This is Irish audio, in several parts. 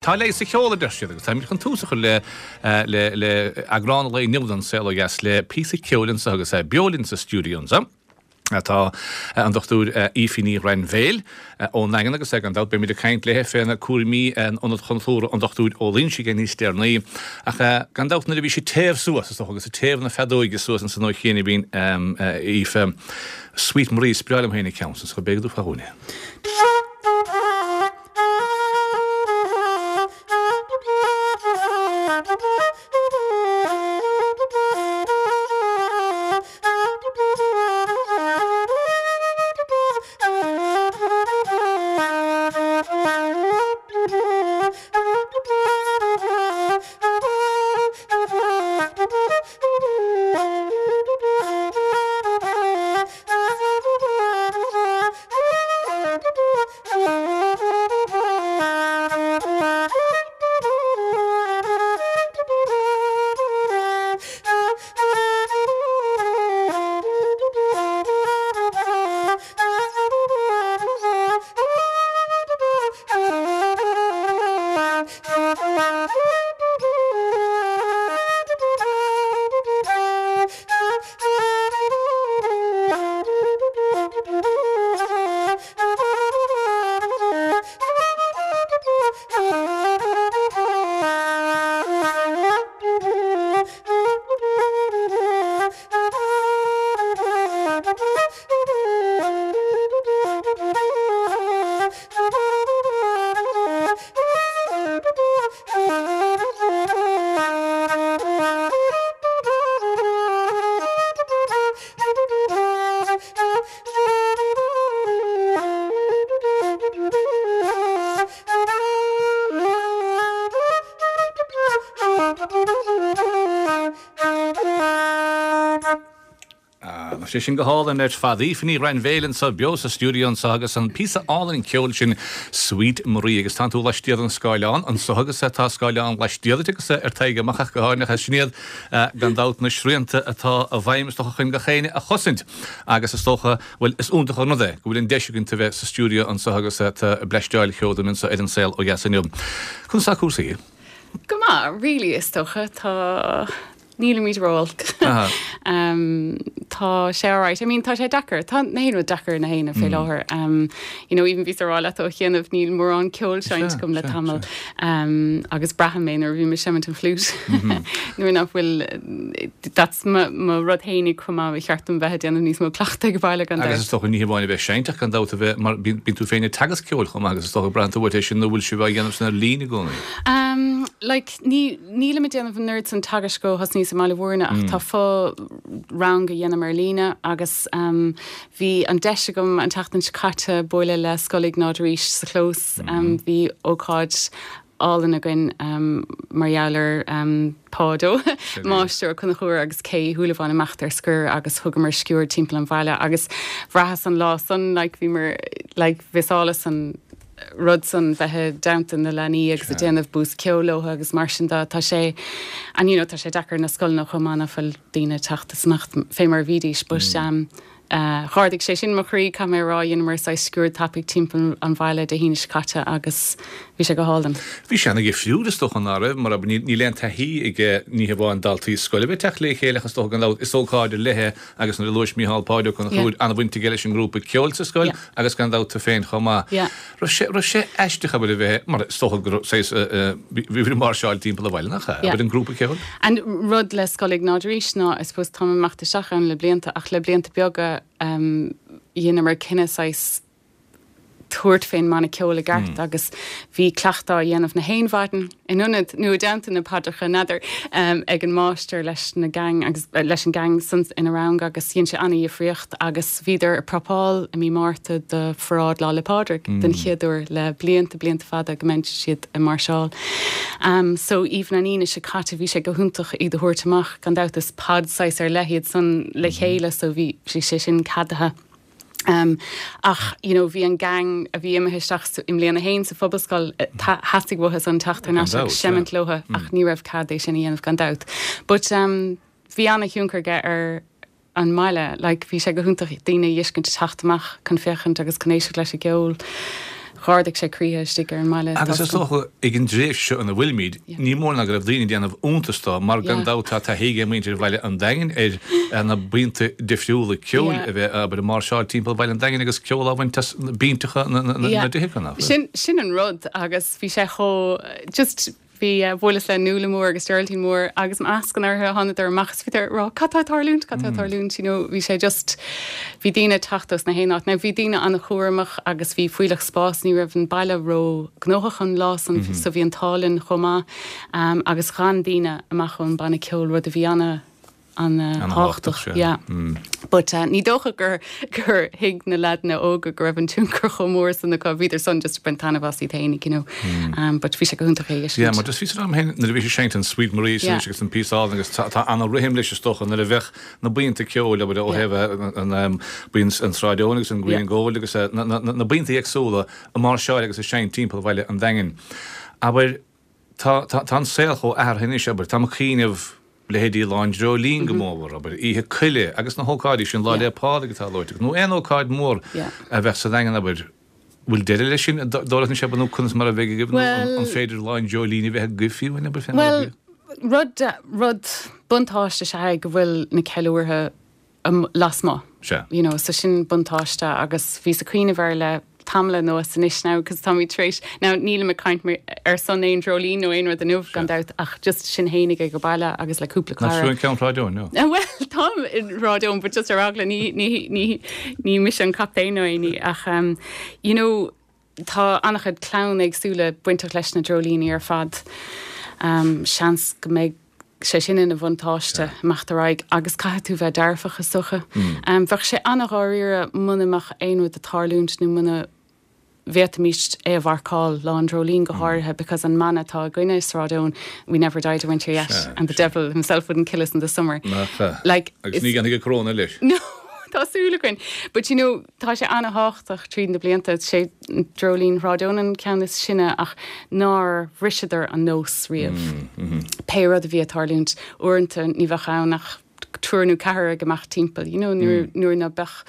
Tá leigheas sa cheol, a deir siad, agus táimid chun tús a chur le le le eagrán an lae inniu den Saol Ó Dheas le píosa ceoil anseo agus beo linn sa stiúideo anseo tá an Dr Aoife Ní Ghrainbhéil ón nDaingean agus gan dabht beimid ag caint léi féna cúraimí in Ionad Chultúrtha an Dr Ó Loingsigh níos deireanaí. Ach gan dabht nuair a bhí sí ag téamh suas, is dócha, agus ag téamh na feadóige suas ansan ó chianaibh Aoife, Sweet Marie, is breá liom féin an ceann san, so b'fhéidir go dtabharfá dhúinn é. Tá sé sin go hálainn ar fad. Aoife Ní Ghrainbhéil anseo beo sa stiúideo anseo agus an píosa álainn ceoil sin Sweet Marie agus tánn tú laistiar den scáileán anseo agus tá scáileán laistiar duit agus ar t'aghaidh amach ach go háirithe sin iad gan dabht na srianta atá i bhfeidhm is dócha chun gach éinne a chosaint agus is dócha bhuel is iontach an rud é go bhfuil an deis againn tú bheith sa stiúideo anseo agus tú ag bleaisteáil ceoil dúinn anseo ar An Saol Ó Dheas inniu. Conas tá cúrsaí? Go maith, really, is dócha. Tá Nílimid ró-olc. Tá sé alright. I mean, tá sé deacair. Tá na haon rud deacair na haoine fé láthair. You know, even bhíos ag rá leat ó chianaibh níl mórán ceoil seinnte agam le tamall. Agus braithim é nuair a bhím ag seimint an flute. Nuair nach bhfuil, that's mo mo rud fhéinig chomh maith, ba cheart dom bheith ag déanamh níos mó cleachtaidh ag baile gan dabht. Agus is dócha ní hamháin a bheith ag seinnt ach gan dabht a bheith, mar bíonn tú féin ag teagasc ceoil chomh maith agus is dócha braitheann tú uait é sin nó bhfuil sibh á dhéanamh sin ar líne i gcónaí? Like, ní, nílim ag déanamh an oiread san teagaisc ó thosnaíos i mBaile Mhúirne ach tá fo-rang a dhéanaim ar líne agus bhí an deis agam an tseachtain seo caite bualadh le Scoil Iognáid arís sa chlós. Bhí ócáid álainn againn mar gheall ar Páid Ó Máistir Ó Conchúir agus Kay Uí Shúilleabháin imeacht ar scor agus thugamar sciuird timpeall an bhaile agus bhraitheas an lá san like bhíomar like mhiseálas an rud san bheith i dteannta na leanaí agus ag déanamh bús ceoil leo agus mar sin de. Tá sé, and you know, tá sé deacair na scoileanna chomh maith nach bhfuil daoine ag teacht is imeacht fé mar a bhídís but um dh'ardaigh sé sin mo chroí, caithfidh mé a rá, dheineamar saghas sciuird tapaidh timpeall an bhaile Dé hAoine seo caite agus bhí sé go hálainn. Bhí sé ana-dhifriúil is dócha ná roimh, mar níl aon taithí ag ní hamháin daltaí scoile a bheith ag teacht le chéile ach is dócha gan dabht is ócáid ar leith é agus nuair a luais Mícheál Páid Ó Conchúir, an-bhaint aige leis an ngrúpa ceoil sa scoil agus gan dabht tú féin chomh maith. Raibh sé, raibh sé aisteach abair a bheith, mar is dócha go raibh saghas, bhí bhí máirseáil timpeall an bhaile nach ea? Abair an grúpa ceoil? An rud le Scoil Iognáid arís ná, I suppose, táim ag imeacht isteach ann le blianta ach le blianta beaga dheineamar cinneadh saghas tabhairt fén mbanna ceoil i gceart agus bhí cleachtadh á dhéanamh na haon mhaidin in ionad nó i dteannta na paidreacha n'fheadar ag an máistir leis na gang agus leis an gang san ina rang agus dhein sé ana-dhifríocht agus bhíodar ag prapáil i mí Márta do pharáid Lá 'le Pádraig den chéad uair le blianta blianta fada go mbeidh siad ag máirseáil. So even an Aoine seo caite bhí sé go hiontach iad a thabhairt amach gan dabht is pod saghas ar leith iad san le chéile so bhí sé sin ceadaithe. Ach you know bhí an gang a bhí imithe isteach i mbliain a haon sa phobalscoil, theastaigh uathu san teacht thar n-ais agus seimint leotha ach ní raibh cead é sin a dhéanamh gan dabht. But bhí ana-thionchar aige ar an mbaile, like bhí sé go hiontach daoine a fheiscint ag teacht amach chun féachaint agus chun éisteacht leis an gceol. Dh'ardaigh sé croíthe istigh ar an mbaile. Agus is dócha, ag an dtréimhse seo ina bhfuilimid, ní mór ná go raibh daoine ag déanamh iontais dó, mar gan dabht tá taithí ag muintir Bhaile an Daingin ar na buíonta difriúla ceoil a bheith, abair, ag máirseáil timpeall Bhaile an Daingin agus ceol á bhaint as binteacha na dtithe acu, nach bhfuil? Sin an rud agus bhí sé chomh, just, Bhí, bhuaileas le Nuala Mór agus Geraldine Mór agus meascán orthu, thánadar amach is bhíodar ag rá cad tá ag tarlúint, cad tá ag tarlúint, you know, bhí sé just, bhí daoine ag teacht ós na haon áit. Now bhí daoine an-chúramach agus bhí fuílleach spáis, ní raibh an baile ró gnóthach an lá san so bhí an t-ádh linn chomh maith agus ghan daoine amach ón banna ceoil, rud a bhí ana, an-thábhachtach, yeah. But ní dócha gur gur thuig na leaideanna óga go raibh an tionchar chomh mór san acu, bhíodar san just ag baint taitneamh as iad fhéinig, you know. But bhí sé go hiontach é a fheiscint. Yeah, mar just bhí san am féin nuair a bhí sé seinnte an Sweet Marie san agus an píosa álainn agus tá ana-rithim leis is dócha nuair a bheadh na buíonta ceoil abair ó thaobh an buíon an Sráid Eoin agus an Green and Gold agus na buíonta éagsúla ag máirseáil agus ag seinnt timpeall Bhaile an Daingin. Abair Tá, tá, tá an saol chomh athraithe anois, abair, táim ag cuimhneamh, leithéidí Lá an Dreoilín go mórmhór, abair, Oíche Coille agus na hócáidí sin, Lá 'le Pádraig atá luaite agat, nó aon ócáid mhór a bheadh sa Daingean, abair, bhfuil deireadh leis sin, dóigh leat anois, abair, nó conas mar a bheidh agaibh, nó an féidir Lá an Dreoilín a bheith agaibh fiú, abair, fé mar a bhí? Bhuel, rud, rud, buntáiste is ea é go bhfuil na ceiliúrtha lasmuigh. Sea. You know, so sin buntáiste agus bhíos ag cuimhneamh air le tamall anuas anois now cos táimid tar éis, now nílim ag caint mar, ar son aon dreoilín nó aon rud inniu gan dabht ach just sinn fhéinig ag baile agus le cúpla cara. Nach tú an ceann Shráid Eoin, no? Bhuel, táim i Sráid Eoin but just ar eagla ní, ní, ní, ní mise an captaen nó aon ní ach um, you know, Tá an-chuid clann éagsúla bainteach leis na dreoilíní ar fad. Seans go mbeidh sé sin ina bhuntáiste imeacht ar aghaidh agus caithfidh tú bheith dearfach is dócha. Bheadh sé an-dháiríre muna mbeadh aon rud ag tarlúint nó muna bhféadfaimis é a mharcáil, Lá an Dreoilín go háirithe because an mana atá againne i Sráid Eoin, we never died in winter yet and the devil himself wouldn't kill us in the summer. Nach ea? Like, Agus ní dhéanfaidh an Corona leis. No, tá súil againn. But you know, Tá sé ana-thábhachtach tríd na blianta, sé Dreoilín Shráid Eoin an ceann is sine ach nár bhriseadar an nós riamh. Pé rud a bhí ag tarlúint, uaireanta ní bheadh ann ach triúr nó ceathrar ag imeacht timpeall, you know, nuair nuair ná beadh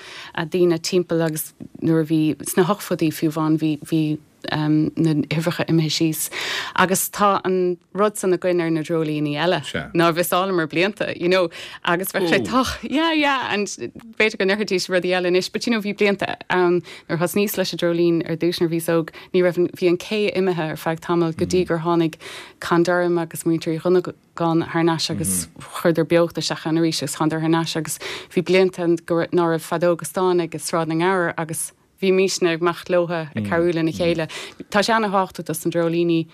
daoine timpeall agus nuair a bhí, sna hochtóidí fiú amháin bhí bhí na huimhreacha imithe síos. Agus tá an rud san againn ar na dreoilíní eile nár mhiseálamar blianta, you know, agus bheadh sé tá, yeah, yeah, and b'fhéidir go ndéarfaidís rudaí eile anois, but you know, bhí blianta ann nuair a thosnaíos leis an dreoilín ar dtús nuair a bhíos óg, ní raibh an, bhí an cé imithe ar feadh tamaill go dtí gur tháinig Con Durham agus muintir Uí Dhonnagáin thar n-ais agus chuireadar beocht isteach ann arís agus thánadar thar n-ais agus bhí blianta go raibh, ná raibh feadóga stáin ag Sráid na nGabhar agus Bhímísne ag imeacht leotha ag cabhrú lena chéile. Tá sé ana-thábhachtach dos na dreoilíní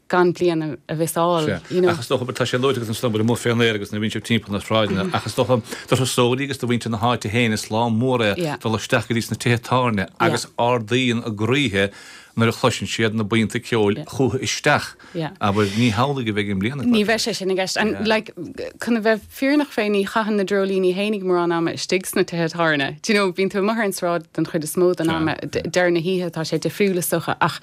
gan bliain a mhiseáil, you know. Ach is dócha, tá sé luaite agat ansan amuigh fén aer agus nuair a bhíonn sibh timpeall na sráideanna, ach is dócha do thurasóirí agus do mhuintir na háite féin is lá mór é dul isteach go dtí sna tithe tábhairne agus ardaíonn a gcroíthe nuair a chloiseann siad na buíonta ceoil chucu isteach. Abair, ní hamhlaidh a bheidh i mbliana. Ní bheidh sé sin i gceist. And like, chun a bheith fírinneach fé, ní chaitheann na dreoilíní fhéinig mórán ama istigh sna tithe tábhairne. Do you know, bíonn tú amuigh ar an sráid den chuid is mó den ama. Deireadh na hoíche tá sé difriúil is dócha ach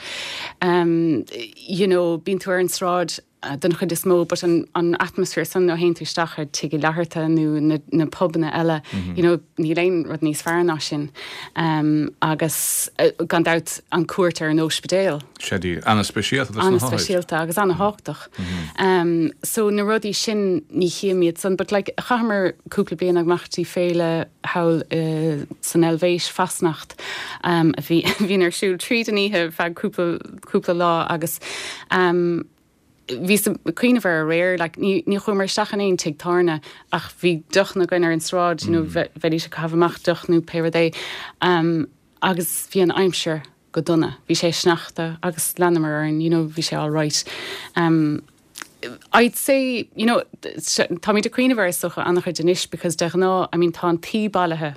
um, you know, bíonn tú ar an sráid den chuid is mó but an, an atmaisféar san nuair a théann tú isteach ar Tigh Uí Fhlatharta nó na, na pubanna eile, you know, níl aon rud níos fearr ná sin. Um, agus gan dabht an cuairt ar an óispidéal. Sea, díreach. Ana-speisialta dos na hothair. Ana-speisialta agus ana-thábhachtach. So na rudaí sin ní chím iad san but like chaitheamar cúpla bliain ag imeacht dtí féile thall san Eilvéis, Fasnacht, a bhí a bhíonn ar siúl tríd an oíche ar feadh cúpla cúpla lá agus bhíos ag cuimhneamh air aréir like ní ní chuamar isteach in aon tigh tábhairne ach bhí deochanna againn ar an sráid you know bheidís ag caitheamh amach deoch nó pé rud é agus bhí an aimsir go dona. Bhí sé sneachta agus leanamar orainn, you know, bhí sé all right. Um, I'd say, you know, táimid ag cuimhneamh air is dócha an-chuid anois because de ghnáth, I mean, tá an tuí bailithe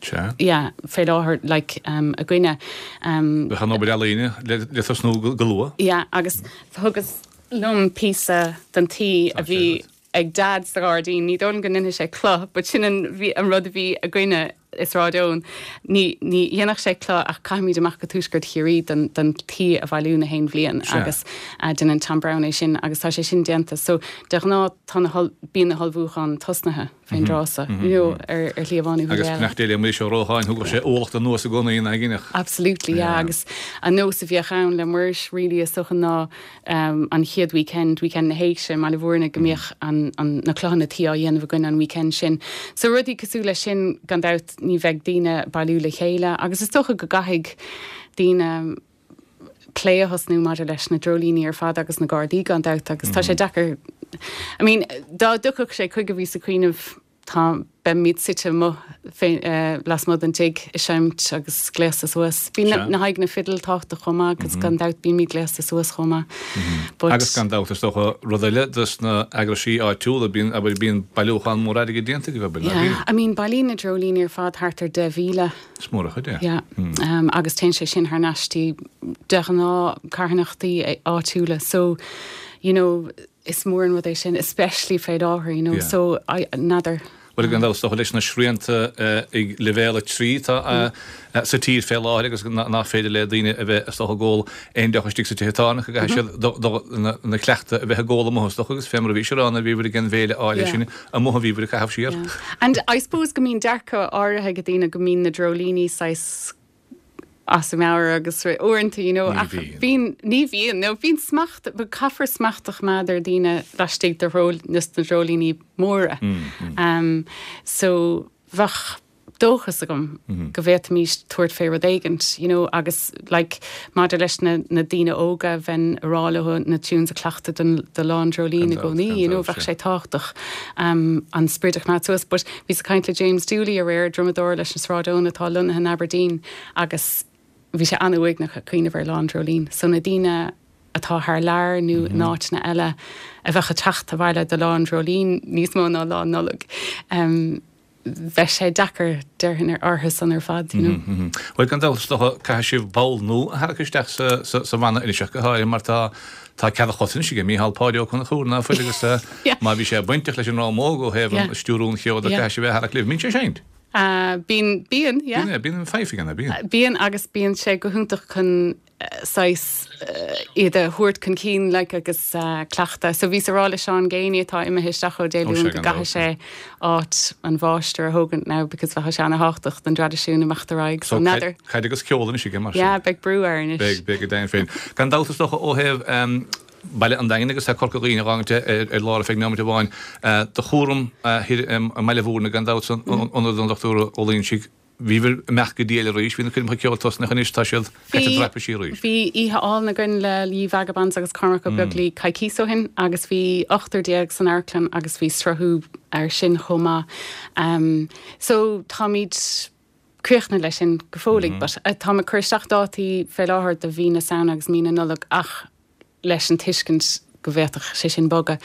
Sea. yeah, fé láthair, like, um, againne. Um, Bheadh an obair ealaíne le, le tosnú go, go luath. Yeah, agus thugas liom píosa den tuí a bhí ag Dad sa ghairdín. Ní dóigh liom go ndéanfaidh sé cloch but sin an bhí an rud a bhí againne i Sráid Eoin. Ní ní dhéanfadh sé cloch ach caithfimid amach go Tuaisceart Chiarraí don don tuí a bhailiú na haon bhliain agus déanann Tom Browne é sin agus tá sé sin déanta. So de ghnáth tá na bíonn na hullmhúcháin tosnaithe. Fén dtráth so, you know, ar ar shlí amháin nó Agus eile. beannacht Dé le Muiris Ó Rócháin, thugadh sé ualach de anuas i gcónaí ina gcinneadh. Absolutely, yeah, agus an nós a bhíodh ann le Muiris really is dócha ná an chéad weekend, weekend na hÉigse i mBaile Bhúirne go mbíodh an, an, na clochanna tuí á dhéanamh againn an weekend sin. So rudaí cosúil leis sin, gan dabht ní bheidh daoine ag bailiú le chéile agus is dócha go gcaithfidh daoine, plé a thosnú maidir leis na dreoilíní ar fad agus na Gardaí gan dabht agus tá sé deacair I mean dá dtiocfadh sé chuige bhíos ag cuimhneamh tá beimid suite amuigh fé lasmuigh den tigh ag seinnt agus gléasta suas. Bíonn na haghaidh na fidil tábhachtach chomh maith agus gan dabht bímid gléasta suas chomh maith. But Agus gan dabht is dócha rud eile dos na eagraisí áitiúla bíonn abair bíonn bailiúchán mór airgid déanta agaibh abair ná bíonn? Yeah I mean bailíonn na dreoilíní ar fad thart ar 10,000. Is mór an chuid é. Yeah. Agus téann sé sin thar n-ais dtí de ghnáth carthanachtaí áitiúla. So, you know, is mór an rud é sin, especially fé láthair, you know. Yeah. So, I, n'fheadar. Bhuel, gan dabht, is dócha leis na srianta ag leibhéal 3 atá sa tír fé láthair agus nach féidir le daoine a bheith is dócha ag ól aon deoch istigh sa tithe tábhairne go gcaithfidh siad ina cleachtadh a bheith ag ól amuigh is dócha agus fé mar a bhís ag rá nuair a bhíobhair ag an bhféile áille sin amuigh a bhíobhair ag caitheamh siar. Yeah. And I suppose go mbíonn dearcadh áirithe ag daoine go mbíonn na dreoilíní saghas as a meabhair agus uaireanta, you know, ach bíonn, ní bhíonn, no, bíonn smacht, but caithfear smacht a choimeád ar daoine laistigh de dhreoil, na dreoilíní móra. Um, so bheadh dóchas agam go bhféadfaimís tabhairt fé rud éigint, you know, agus like maidir leis na, na daoine óga, bheinn a rá leo na tunes a chleachtadh don, do Lá an Dreoilín i gcónaí, you know, bheadh sé tábhachtach um, an sprid a choimeád suas. But bhíos ag caint le James Dooley aréir, drumadóir leis na Sráideoin atá lonnaithe in Aberdeen agus bhí sé an-uaigneach ag cuimhneamh ar Lá an Dreoilín. So na daoine atá thar lear nó in áiteanna eile a bheadh ag teacht abhaile do Lá an Dreoilín níos mó ná Lá Nollag. Um, bheadh sé deacair, déarfainn, orthu san ar fad, you know. Bhuel, gan dabht, is dócha, caithfidh sibh ball nua a tharrac isteach sa bhanna anois ach go háirithe mar tá tá cead a chos anois aige Mícheál Páidí Ó Conchúir, ná fuil, agus má bhí sé bainteach leis an Rámóg ó thaobh an stiúrú an cheoil de, caithfidh sibh é a tharrac libh. Mbíonn sé ag seinnt? Bíonn, bíonn, yeah. Bíonn, bíonn an fife aige, ná bíonn? Bíonn agus bíonn sé go hiontach chun saghas iad a thabhairt chun cinn like agus cleachtadh. So bhíos ag rá le Seán Geaney atá imithe isteach ó Dé Luain go gcaithfidh sé áit an mháistir a thógaint now because bheadh sé ana-thábhachtach don dtraidisiún imeacht ar aghaidh. So n'fheadar. Caid agus ceol anois aige mar sin. Yeah, beidh brú air anois. Beidh, beidh go deimhin féin. Gan dabht is dócha ó thaobh Baile an Daingin agus tá Corca Dhuibhne a dh'fhágaint ar lár ar feadh neomat amháin. Do chúram thoir i mBaile Bhúirne gan dabht san ionad an Dochtúra Ó Loingsigh. Bhíobhair ag imeacht go diail arís, bhí na coirmeacha ceoil tosnaithe anois, tá siad caite dreapadh siar arís. Bhí oíche álainn againn le Ye Vagabonds agus Cormac Ó Beaglaoich coicíos ó shin agus bhí 18 san amharclann agus bhí sruthú air sin chomh maith. So táimid críochnaithe leis sin go fóilligh but táim ag cur isteach dátaí fé láthair do mhí na Samhna agus mí na Nollag ach leis an tuiscint go bhféadfadh sé sin bogadh.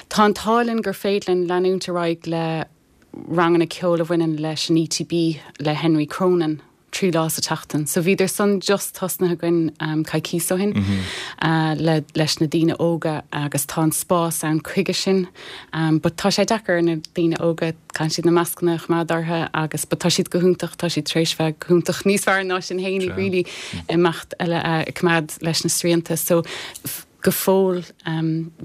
Tá an t-ádh linn gur féidir linn leanúint ar aghaidh le ranganna ceoil a bhaineann leis an ETB le Henry Cronin 3 lá sa tseachtain. So bhíodar san just tosnaithe againn coicíos ó shin le leis na daoine óga agus tá an spás ann chuige sin. But tá sé deacair ar na daoine óga, caitheann siad na mascanna a choimeád orthu agus but tá siad go hiontach, tá siad tar éis bheith go hiontach níos fearr ná sinn fhéinig really imeacht ag coimeád leis na srianta. So go fóill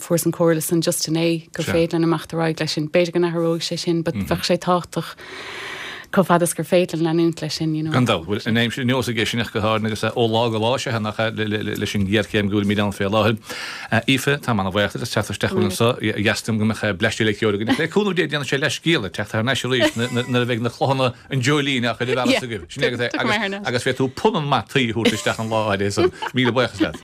fuaireas an comhairle san just inné gur féidir linn imeacht ar aghaidh leis sin. B'fhéidir go n-athróidh sé sin but bheadh sé tábhachtach chomh fada is gur féidir linn leanúint leis sin, you know. Gan dabht. Bhuel, an aimsir neosfaidh é sin ach go háirithe agus ó lá go lá is ea nach ea leis an ghéarchéim go bhfuilimid ann fé láthair. Aoife, táim ana-bhuíoch díot as teacht isteach chugainn anseo. Dheas dom go mbeadh bleaist eile ceoil againn. Le cúnamh Dé déanfaidh sé leathscéal ag teacht thar n-ais arís nuair a bheidh na clochanna an dreoilín á chur i bhfearas agaibh. Sin é agus é. Agus féadfaidh tú punann maith tuí a thabhairt isteach an lá áirithe san. Míle buíochas leat.